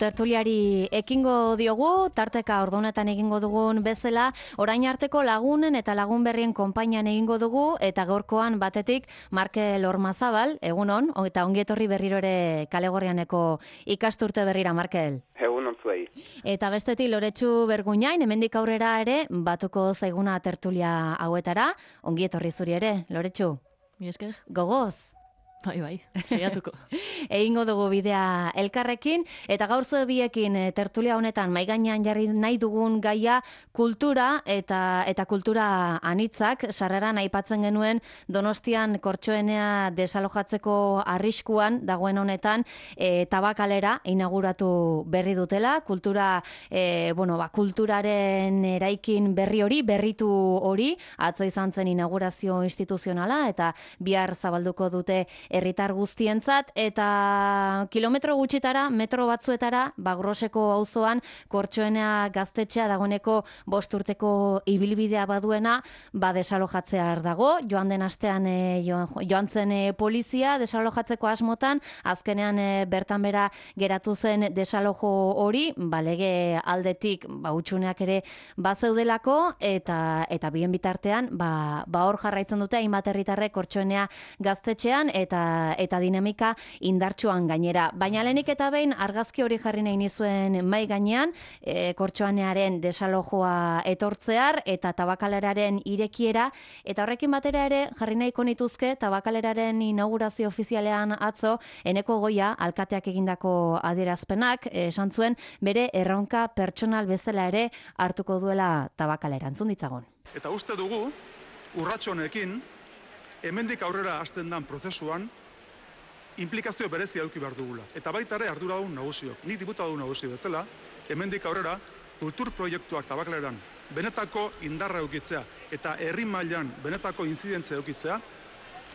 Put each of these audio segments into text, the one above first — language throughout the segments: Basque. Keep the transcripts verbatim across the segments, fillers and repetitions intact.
tertuliari ekingo diogu, tarteka ordunetan egingo dugun bezala, orain arteko lagunen eta lagun berrien konpainian egingo dugu, eta gaurkoan batetik Markel Ormazabal, egunon, eta ongietorri berriro ere Kalegorrianeko ikasturte berrira, Markel. Egunon zuei. Eta bestetik Loretsu Berguñain, hemendik aurrera ere, batuko zaiguna tertulia hauetara, ongietorri zuri ere, Loretsu. Mi esker. Gogoz. Bai, bai, saiatuko. Egingo dugu bidea elkarrekin, eta gaur zue biekin tertulia honetan maigainean jarri nahi dugun gaia kultura eta eta kultura anitzak. Sarreran aipatzen genuen Donostian Kortxoenea desalojatzeko arriskuan dagoen honetan e, Tabakalera inauguratu berri dutela, kultura e, bueno, ba, kulturaren eraikin berri hori, berritu hori, atzo izan zen inaugurazio instituzionala eta bihar zabalduko dute herritar guztientzat, eta kilometro gutxitara, metro batzuetara, Bagroseko auzoan Kortxoenea gaztetxea dagoeneko bost urteko ibilbidea baduena, ba desalojatzear dago. Joan den astean e, joan, joan zen e, polizia desalojatzeko asmotan, azkenean e, bertan bera geratu zen desalojo hori, ba lege aldetik ba hutsuneak ere bazeudelako, eta eta bien bitartean, ba ba hor jarraitzen dute hainbat herritarrek Kortxoenea gaztetxean, eta eta dinamika indartsuan gainera. Baina lehenik eta behin argazki hori jarri nahi nizuen mai gainean, e, Kortxoenearen desalojoa etortzear eta Tabakaleraren irekiera, eta horrekin batera ere jarri nahiko nituzke Tabakaleraren inaugurazio ofizialean atzo Eneko Goia alkateak egindako adierazpenak, esan zuen bere erronka pertsonal bezala ere hartuko duela Tabakalera. Entzun ditzagun. Eta uste dugu urrats honekin hemendik aurrera hasten dan prozesuan implikazio berezia eduki behar dugula. Eta baita ere arduradun nagusiok. Nik diputadun nagusi bezala, hemendik aurrera kultur proiektuak Tabakaleran benetako indarra edukitzea eta herri mailan benetako inzidentzia edukitzea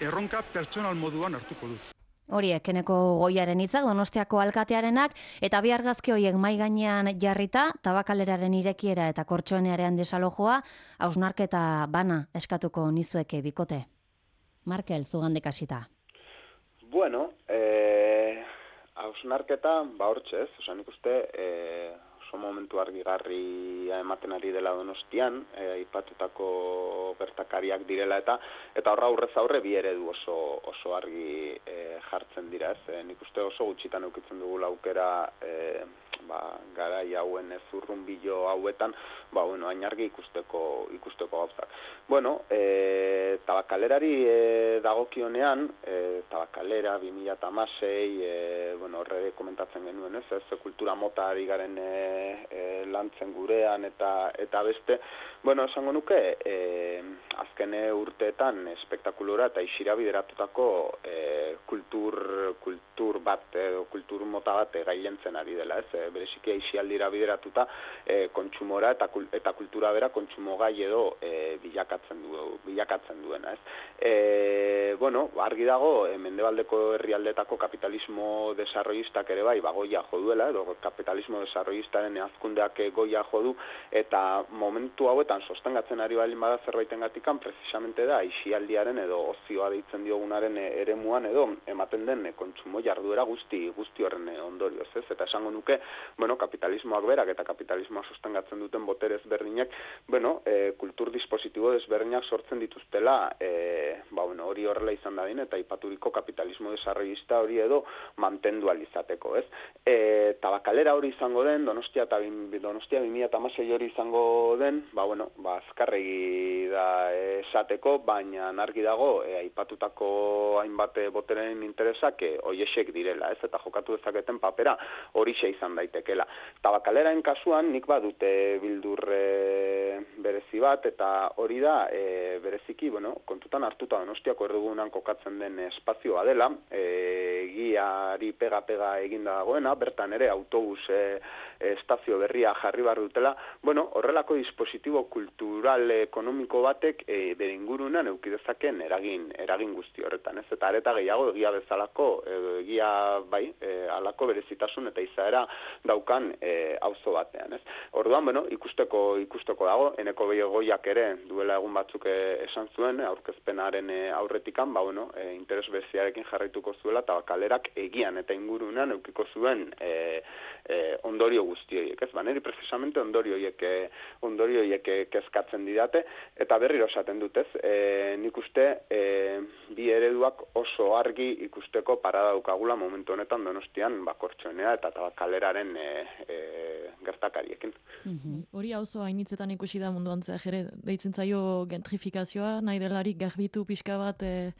erronka pertsonal moduan hartuko dut. Horiek Eneko Goiaren hitzak, Donostiako alkatearenak, eta bi argazki horiek mai gainean jarrita, Tabakaleraren irekiera eta Kortxoenearen desalojoa, hausnarketa bana eskatuko nizueke bikote. Markel, zugandek hasita. Bueno, eh, hausnarketa, ba hortxez, oza, nik uste, eh, oso momentu argigarria ematen ari dela Donostian, eh, aipatutako gertakariak direla eta eta horra aurrez aurre bi eredu oso, oso argi eh, jartzen dira, ez? Eh, nik uste oso gutxitan eukitzen dugula aukera eh, ba, garai hauen zurrunbilo hauetan, ba, bueno, ainargi ikusteko, ikusteko gauzak. Bueno, e, Tabakalerari e, dagokionean, e, Tabakalera bi mila hamasei, e, bueno, horre komentatzen genuen, ez, ez kultura mota ari garen e, e, lantzen gurean eta eta beste, bueno, esango nuke, e, azken urteetan espektakulora eta isira bideratutako e, kultur, kultur bat, edo kultur mota bat gailentzen ari dela, ez, e, bereziki aisialdira bideratuta e, kontsumora eta, eta kultura bera kontsumo gai edo e, bilakatzen, du, bilakatzen duena, ez. E, bueno, argi dago, e, mendebaldeko herrialdetako kapitalismo desarrollistak ere bai, ba, goia jo duela, edo kapitalismo desarrollistaren azkundeak goia jo du, eta momentu hauetan sostengatzen ari balin bada zerbaiten gatikan, precisamente da, aisialdiaren edo ozioa deitzen diogunaren eremuan edo ematen den kontsumo jarduera guzti, guzti horren ondorioz, ez, eta esango nuke, bueno, kapitalismoak berak eta kapitalismoa sostengatzen duten botere ezberdinak, bueno, e, kultur dispositibo desberdinak sortzen dituztela, e, ba, bueno, hori horrela izan dadin, eta ipaturiko kapitalismo desarrollista hori edo mantendu alizateko, ez? E, Tabakalera hori izango den, Donostia eta Donostia bi mila hamasei hori izango den, ba, bueno, ba, azkarregi da esateko, baina argi dago, e, aipatutako hainbat boteren interesak e, oiesek direla, ez? Eta jokatu dezaketen papera horixe izan daitekela. Tabakaleraen kasuan nik badute bildur e, berezi bat, eta hori da e, bereziki, bueno, kontutan hartuta Donostiako erdugunan kokatzen den espazioa dela, e, giari pega-pega eginda dagoena, bertan ere autobus e, estazio berria jarri behar dutela, bueno, horrelako dispositibo kultural ekonomiko batek e, bere ingurunan eukidezaken eragin, eragin guzti horretan, ez? Eta areta gehiago egia bezalako, e, egia bai, e, alako berezitasun eta izaera daukan e, auzo batean, ez? Orduan, bueno, ikusteko ikusteko dago, Eneko Goiak ere duela egun batzuk esan zuen, aurkezpenaren aurretikan, ba, bueno, e, interes bereziarekin jarraituko zuela, eta kalerak egian eta ingurunean eukiko zuen e, e, ondorio guzti horiek, ez? Ba, niri precisamente ondorio horiek, ondorio horiek kezkatzen didate, eta berriro esaten dut, ez? E, nik uste e, bi ereduak oso argi ikusteko parada daukagula momentu honetan Donostian, ba, Kortxoenea eta Tabakaleraren e, e, gertakariekin. Mm-hmm. Hori auzo hainitzetan ikusi da munduan zeh ere, deitzen zaio gentrifikazioa, nahi delarik garbitu pixka bat e,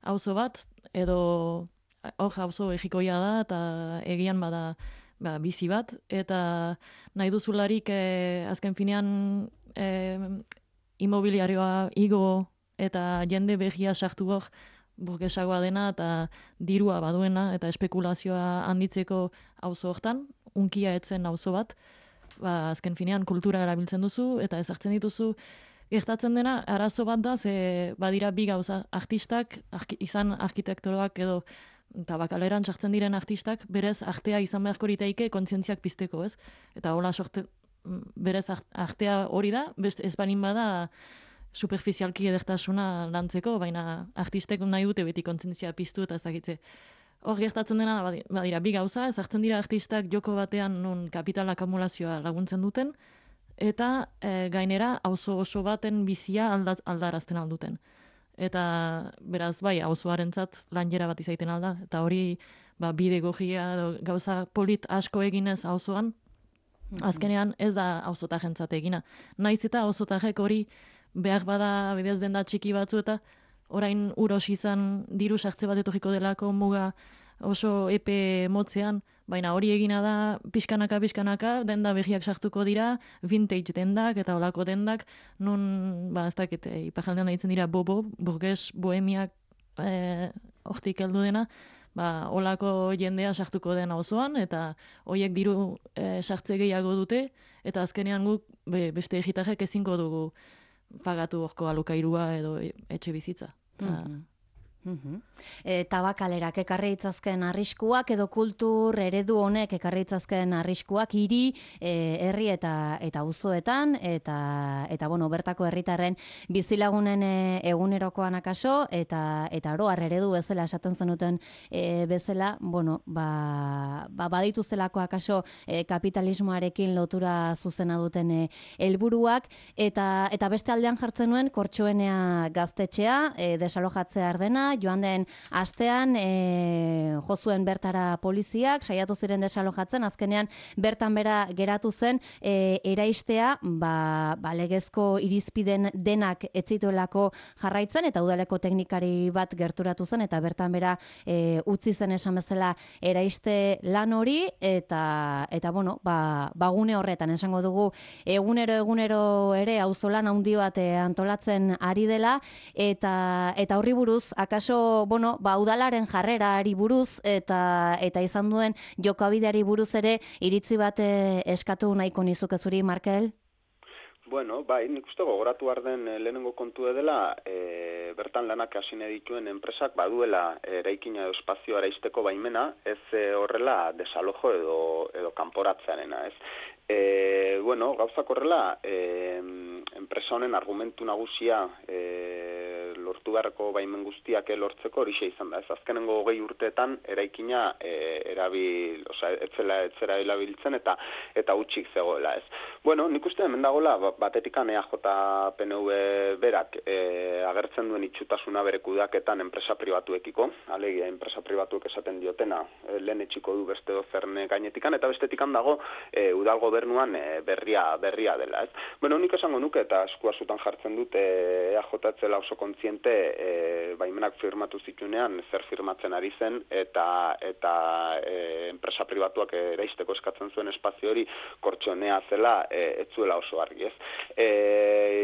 auzo bat, edo hor auzo egikoia da, eta egian bada ba, bizi bat, eta nahi duzularik e, azken finean e, imobiliarioa igo eta jende behia sartu hor burgesagoa dena eta dirua baduena eta espekulazioa handitzeko auzo hortan, unkia etzen auzo bat, ba, azken finean kultura erabiltzen duzu eta ezartzen dituzu. Gertatzen dena, arazo bat da, ze badira bi gauza, artistak, arki, izan arkitektoroak edo Tabakaleran sartzen diren artistak, berez artea izan beharko liteike kontzientziak pizteko, ez? Eta hola sorte, berez artea hori da, best ez banin bada superficialki edertasuna lantzeko, baina artistek nahi dute beti kontzientzia piztu eta ez dakitze. Hor gertatzen dena, badira, bi gauza, ezartzen dira artistak joko batean non kapital akumulazioa laguntzen duten, eta e, gainera auzo oso baten bizia alda, aldarazten alduten. Eta beraz bai, auzoarentzat lanjera bat izaiten alda, eta hori ba, bide gogia edo gauza polit asko eginez auzoan, azkenean ez da auzotajentzat egina. Naiz eta auzotajek hori behar bada bidez denda txiki batzu eta orain uros izan diru sartze bat etorriko delako muga oso epe motzean, baina hori egina da pixkanaka, pixkanaka, denda behiak sartuko dira, vintage dendak eta olako dendak, nun, ba, ez dakit, e, ipajaldean daitzen dira bobo, burges, bohemiak e, hortik heldu dena, ba, olako jendea sartuko den auzoan eta horiek diru e, sartze gehiago dute, eta azkenean guk be, beste egitarrek ezingo dugu pagatu horko alokairua edo etxe bizitza. Mm-hmm. Mm-hmm. E, tabakalerak ekarri itzazken arriskuak edo kultur eredu honek ekarri itzazken arriskuak hiri, e, herri eta eta auzoetan eta eta bueno, bertako herritarren bizilagunen e, egunerokoan akaso eta eta oro har eredu bezala esaten zenuten e, bezala, bueno, ba, ba baditu zelako akaso e, kapitalismoarekin lotura zuzena duten e, helburuak eta eta beste aldean jartzen nuen Kortxoenea gaztetxea e, desalojatzea ardena joan den astean e, jozuen bertara poliziak, saiatu ziren desalojatzen, azkenean bertan bera geratu zen e, eraistea, ba, ba legezko irizpiden denak etzituelako jarraitzen, eta udaleko teknikari bat gerturatu zen, eta bertan bera e, utzi zen esan bezala eraiste lan hori, eta, eta bueno, ba, bagune horretan, esango dugu, egunero egunero ere auzolan handi bat antolatzen ari dela, eta, eta horri buruz, akaso bueno, ba, udalaren jarrerari buruz eta eta izan duen jokabideari buruz ere iritzi bat eskatu nahiko nizuke zuri, Markel? Bueno, bai, nik uste gogoratu behar den lehenengo kontu dela, e, bertan lanak hasi nahi dituen enpresak baduela eraikina edo espazio araizteko baimena, ez e, horrela desalojo edo, edo kanporatzearena, ez. E, bueno, gauzak horrela, e, enpresa honen argumentu nagusia e, lortu beharreko baimen guztiak lortzeko horixe izan da. Ez azkenengo hogei urteetan eraikina e, erabil, osea, etzela etzera erabiltzen eta eta utxik zegoela, ez. Bueno, nik uste hemen dagoela batetikan E A J P N V berak e, agertzen duen itxutasuna bere kudeaketan enpresa pribatuekiko, alegia enpresa pribatuek esaten diotena, e, lehen etxiko du beste dozerne gainetikan, eta bestetikan dago e, udal gobernuan e, berria berria dela, ez. Bueno, nik esango nuke eta eskua zutan jartzen dut e, E A J etzela oso kontziente e, baimenak firmatu zitunean zer firmatzen ari zen eta eta e, enpresa pribatuak eraisteko eskatzen zuen espazio hori Kortxoenea zela e, ez zuela oso argi, ez. E,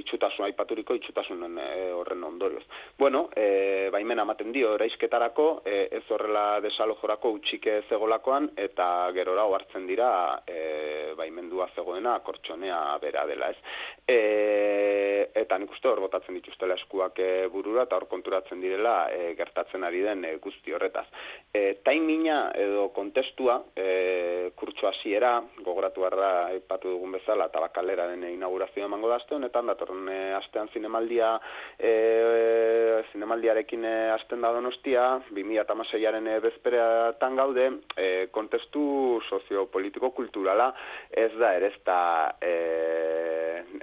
itxutasun aipaturiko itxutasunen e, horren ondorioz. Bueno, e, baimena ematen dio eraisketarako, e, ez horrela desalojorako utxike zegolakoan eta gerora ohartzen dira e, baimendua zegoena Kortxonea bera dela, ez. E, eta nik uste hor botatzen dituztela eskuak e, burura eta hor konturatzen direla e, gertatzen ari den e, guzti horretaz. E, taimina edo kontestua, e, kurtso hasiera, gogoratu barra aipatu dugun bezala, Tabakaleraren inaugurazioa emango da aste honetan, datorren e, astean zinemaldia, e, zinemaldiarekin e, hasten da Donostia, bi mila hamaseiaren e, bezperetan gaude, e, kontestu soziopolitiko-kulturala ez da ere ez da e,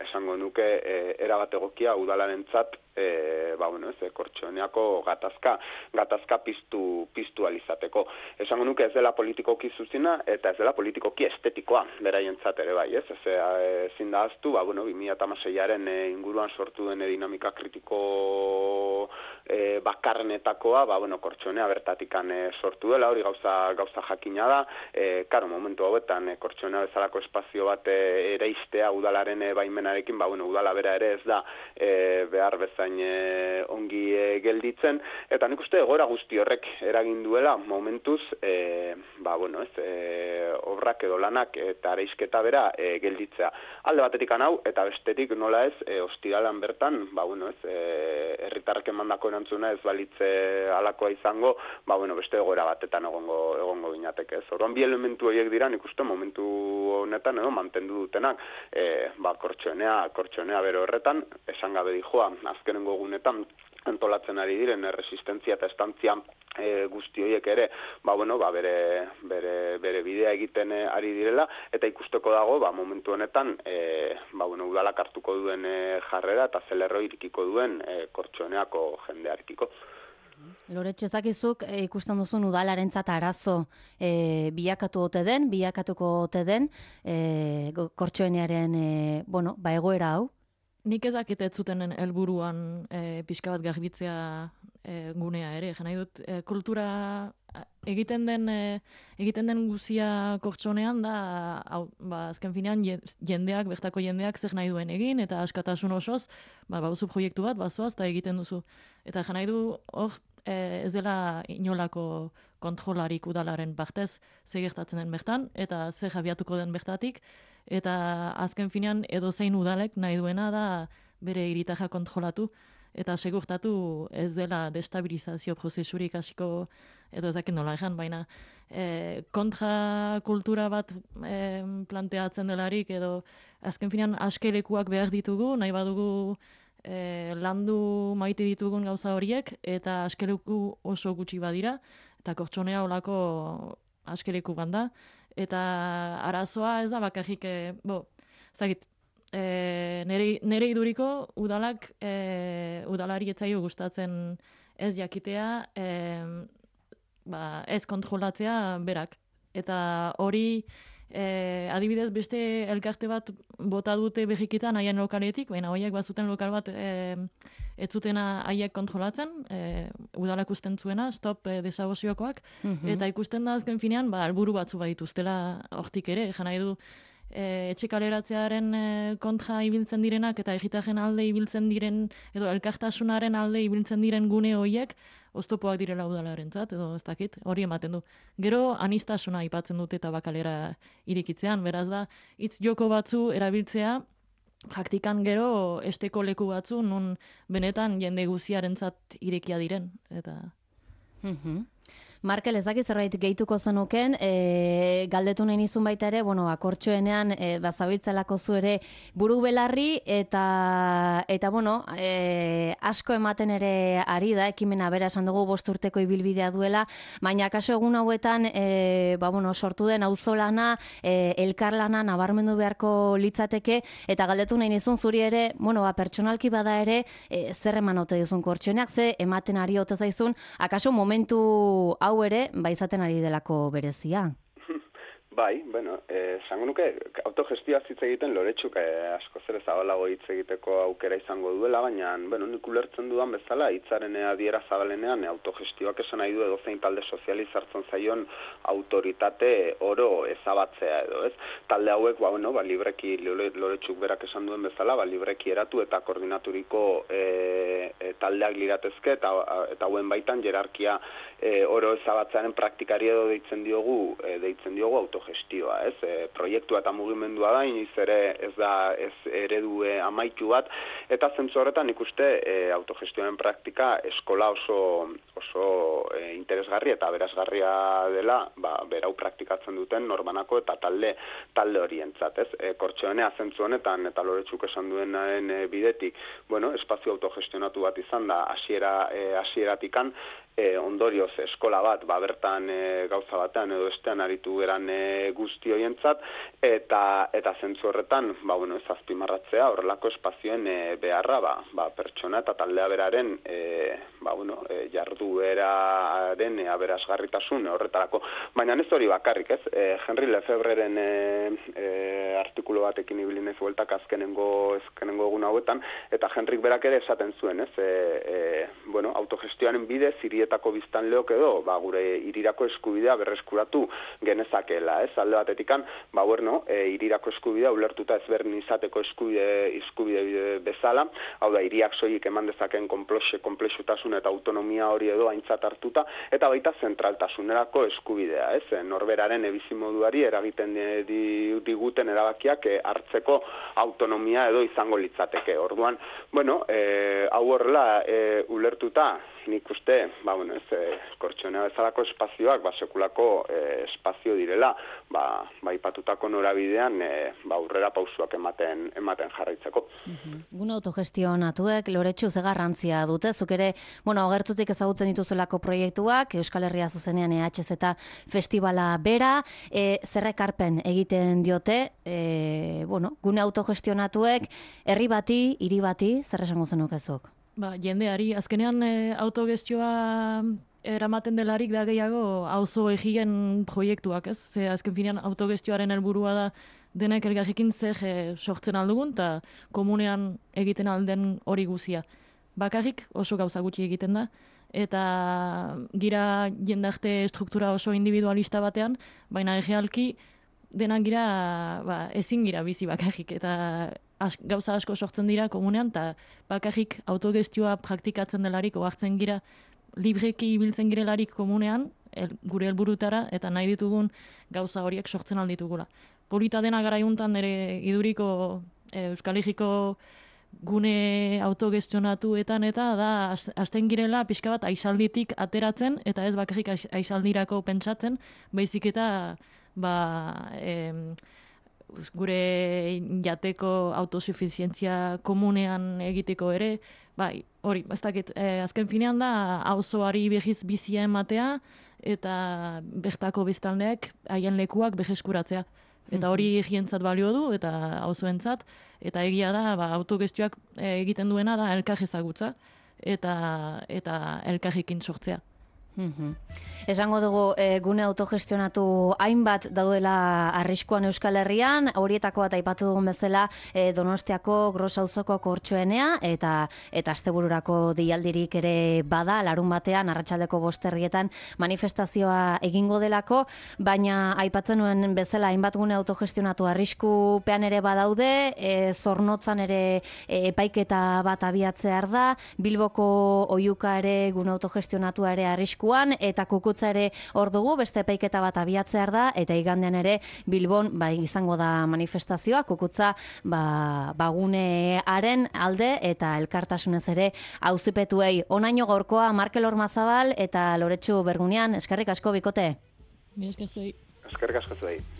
esango nuke e, erabat egokia udalarentzat e, ba, bueno, ez, Kortxoneako gatazka, gatazka piztu, piztu alizateko. Esango nuke ez dela politikoki zuzina eta ez dela politikoki estetikoa beraientzat ere bai, ez? Ez ezin da ahaztu, ba, bueno, bi mila hamaseiaren e, inguruan sortu den dinamika kritiko e, bakarrenetakoa, ba, bueno, Kortxonea bertatikan e, sortu dela, hori gauza, gauza jakina da, e, karo, momentu hauetan, e, Kortxonea bezalako espazio bat e, ere iztea udalaren e, baimenarekin, ba, bueno, udala bera ere ez da e, behar bezain e, ongi e, gelditzen, eta nik uste egoera guzti horrek eragin duela momentuz, e, ba, bueno, ez, e, obrak edo lanak eta areisketa bera e, gelditzea. Alde batetik hau, eta bestetik nola ez, e, ostiralan bertan, ba, bueno, ez, e, herritarrek emandako erantzuna ez balitze alakoa izango, ba, bueno, beste egoera batetan egongo, egongo ginateke, ez. Orduan bi elementu horiek dira, nik uste momentu honetan, edo, mantendu dutenak, e, ba, Kortxonea, Kortxonea bero horretan, esan gabe dijoa, azkenengo gunetan, antolatzen ari diren resistentzia eta estantzia e, guzti horiek ere, ba, bueno, ba, bere, bere, bere bidea egiten e, ari direla, eta ikusteko dago, ba, momentu honetan, e, ba, bueno, udalak hartuko duen e, jarrera eta zelerro irikiko duen e, Kortxoneako jendearekiko. Loretxo, ezakizuk e, ikusten duzun udalarentzat arazo e, bilakatu ote den, bilakatuko ote den e, Kortxonearen e, bueno, ba, egoera hau? Nik ezakit ez zuten helburuan e, pixka bat garbitzea e, gunea ere. Nahi dut, e, kultura egiten den e, egiten den guzia Kortxonean da, hau, ba, azken finean jendeak, bertako jendeak zer nahi duen egin, eta askatasun osoz, ba, bauzu proiektu bat, bazoaz, eta egiten duzu. Eta nahi du, hor, e, ez dela inolako kontrolarik udalaren partez, ze gertatzen den bertan, eta ze jabiatuko den bertatik, eta azken finean edozein udalek nahi duena da bere hiritarra kontrolatu eta segurtatu ez dela destabilizazio prozesurik hasiko edo ezakin nola ejan, baina e, kontra kultura bat e, planteatzen delarik edo azken finean askelekuak behar ditugu, nahi badugu e, landu maite ditugun gauza horiek eta askeleku oso gutxi badira eta Kortxonea olako askeleku banda. Eta arazoa ez da bakarrik, e, bo, zagit, e, nere, nere iduriko udalak, e, udalari etzaio gustatzen ez jakitea, e, ba, ez kontrolatzea berak. Eta hori, e, adibidez, beste elkarte bat bota dute behikitan haien lokaletik, baina horiek bazuten lokal bat e, ez zutena haiek kontrolatzen, e, udalak usten zuena, stop e, desagoziokoak, mm-hmm. Eta ikusten da azken finean, ba, alburu batzu badituztela hortik ere, jan nahi du, e, etxe kaleratzearen e, kontra ibiltzen direnak, eta egitaren alde ibiltzen diren, edo elkartasunaren alde ibiltzen diren gune horiek, oztopoak direla udalarentzat, edo ez dakit, hori ematen du. Gero, anistasuna aipatzen dute eta bakalera irikitzean, beraz da, hitz joko batzu erabiltzea, praktikan gero esteko leku batzu, nun benetan jende guziarentzat irekia diren, eta... Mm-hmm. Markel, ezaki zerbait gehituko zenuken, e, galdetu nahi nizun baita ere, bueno, Kortxoenean e, bazabiltzelako zu ere buru belarri, eta, eta bueno, e, asko ematen ere ari da, ekimena bera esan dugu bost urteko ibilbidea duela, baina kaso egun hauetan, e, ba, bueno, sortu den auzolana, e, elkarlana nabarmendu beharko litzateke, eta galdetu nahi nizun zuri ere, bueno, ba, pertsonalki bada ere, e, zer eman ote duzun Kortxoeneak, ze ematen ari ote zaizun, akaso momentu hau ere, ba izaten ari delako berezia. Bai, bueno, esango nuke, autogestioa hitz egiten Loretxuk eh, asko zer zabalago hitz egiteko aukera izango duela, baina, bueno, nik ulertzen dudan bezala, hitzaren adiera zabalenean, autogestioak esan nahi du edozein talde sozializartzen zaion autoritate oro ezabatzea edo, ez? Talde hauek, ba, bueno, ba, libreki, Loretxuk berak esan duen bezala, ba, libreki eratu eta koordinaturiko e, e, taldeak liratezke, eta, eta hauen baitan jerarkia e, oro ezabatzearen praktikari edo deitzen diogu, e, deitzen diogu auto autogestioa, ez? E, proiektua eta mugimendua da, iniz ere ez da ez eredu e, amaitu bat, eta zentzu horretan ikuste e, autogestioaren praktika eskola oso, oso e, interesgarri eta berazgarria dela, ba, berau praktikatzen duten norbanako eta talde talde horientzat, ez? E, Kortxoenea zentzu honetan, eta Loretxuk esan duenaren e, bidetik, bueno, espazio autogestionatu bat izan da hasiera e, hasieratikan, E, ondorioz eskola bat, ba, bertan e, gauza batean edo estean aritu geran e, guzti horientzat, eta eta zentzu horretan, ba, bueno, ez azpimarratzea horrelako espazioen e, beharra, ba, ba, pertsona eta taldea beraren e, ba, bueno, e, jardueraren e, aberasgarritasun horretarako. Baina ez hori bakarrik, ez? E, Henry Lefebreren e, e, artikulu batekin ibili naiz bueltak azkenengo, azkenengo egun hauetan, eta Henrik berak ere esaten zuen, ez? E, e, bueno, autogestioaren bidez, hirietako biztanleok edo, ba, gure hirirako eskubidea berreskuratu genezakela, ez? Alde batetikan, ba, bueno, e, hirirako eskubidea ulertuta ezberdin izateko eskubide, eskubide bezala, hau da, hiriak soilik eman dezaken konplexutasun eta autonomia hori edo aintzat hartuta, eta baita zentraltasunerako eskubidea, ez? Norberaren ebizimoduari eragiten diguten erabakiak e, hartzeko autonomia edo izango litzateke. Orduan, bueno, e, hau horrela e, ulertuta, nik uste, ba, bueno, ez, e, Kortxoenea bezalako espazioak, ba, sekulako e, espazio direla, ba, ba ipatutako norabidean, e, ba, aurrera pausuak ematen, ematen jarraitzeko. Uh-huh. Gune autogestionatuek, Loretxu, ze garrantzia dute, zuk ere, bueno, agertutik ezagutzen dituzelako proiektuak, Euskal Herria zuzenean E H Z festivala bera, e, zerrekarpen egiten diote, e, bueno, gune autogestionatuek, herri bati, hiri bati, zer esango zenukezuk? Ba, jendeari, azkenean e, autogestioa eramaten delarik da gehiago auzo egien proiektuak, ez? Ze azken finean autogestioaren helburua da denek elgarrekin zer e, sortzen aldugun, eta komunean egiten alden hori guzia. Bakarrik oso gauza gutxi egiten da, eta gira jendarte struktura oso individualista batean, baina egealki denak gira, ba, ezin gira bizi bakarrik, eta as, gauza asko sortzen dira komunean, eta bakarrik autogestioa praktikatzen delarik, ohartzen gira, libreki ibiltzen girelarik komunean, el, gure helburutara, eta nahi ditugun gauza horiek sortzen alditugula. Polita dena garaiuntan ere iduriko e, Euskal Herriko gune autogestionatuetan eta da hasten girela pixka bat aisalditik ateratzen, eta ez bakarrik aisaldirako pentsatzen, baizik eta ba, em, gure jateko autosufizientzia komunean egiteko ere, bai, hori, ez dakit, eh, azken finean da, auzoari behiz bizia ematea, eta bertako biztanleek haien lekuak beheskuratzea. Eta hori egientzat balio du, eta auzoentzat, eta egia da, ba, autogestioak egiten duena da elkar ezagutza, eta, eta elkarrekin sortzea. Mm-hmm. Esango dugu e, gune autogestionatu hainbat daudela arriskuan Euskal Herrian, horietako bat aipatu dugun bezala e, Donostiako Gros auzoko Kortxoenea eta eta astebururako deialdirik ere bada, larun batean arratsaldeko bost herrietan manifestazioa egingo delako, baina aipatzen nuen bezala hainbat gune autogestionatu arriskupean ere badaude, e, Zornotzan ere e, epaiketa bat abiatzear da, Bilboko Oihuka ere gune autogestionatua ere arrisku eta Kukutza ere hor dugu, beste epaiketa bat abiatzear da, eta igandean ere Bilbon bai izango da manifestazioa, Kukutza ba, bagunearen alde eta elkartasunez ere auzipetuei. Onaino gaurkoa Markel Ormazabal eta Loretxu Bergunean, eskerrik asko bikote. Mila esker zuei. Eskerrik asko zuei.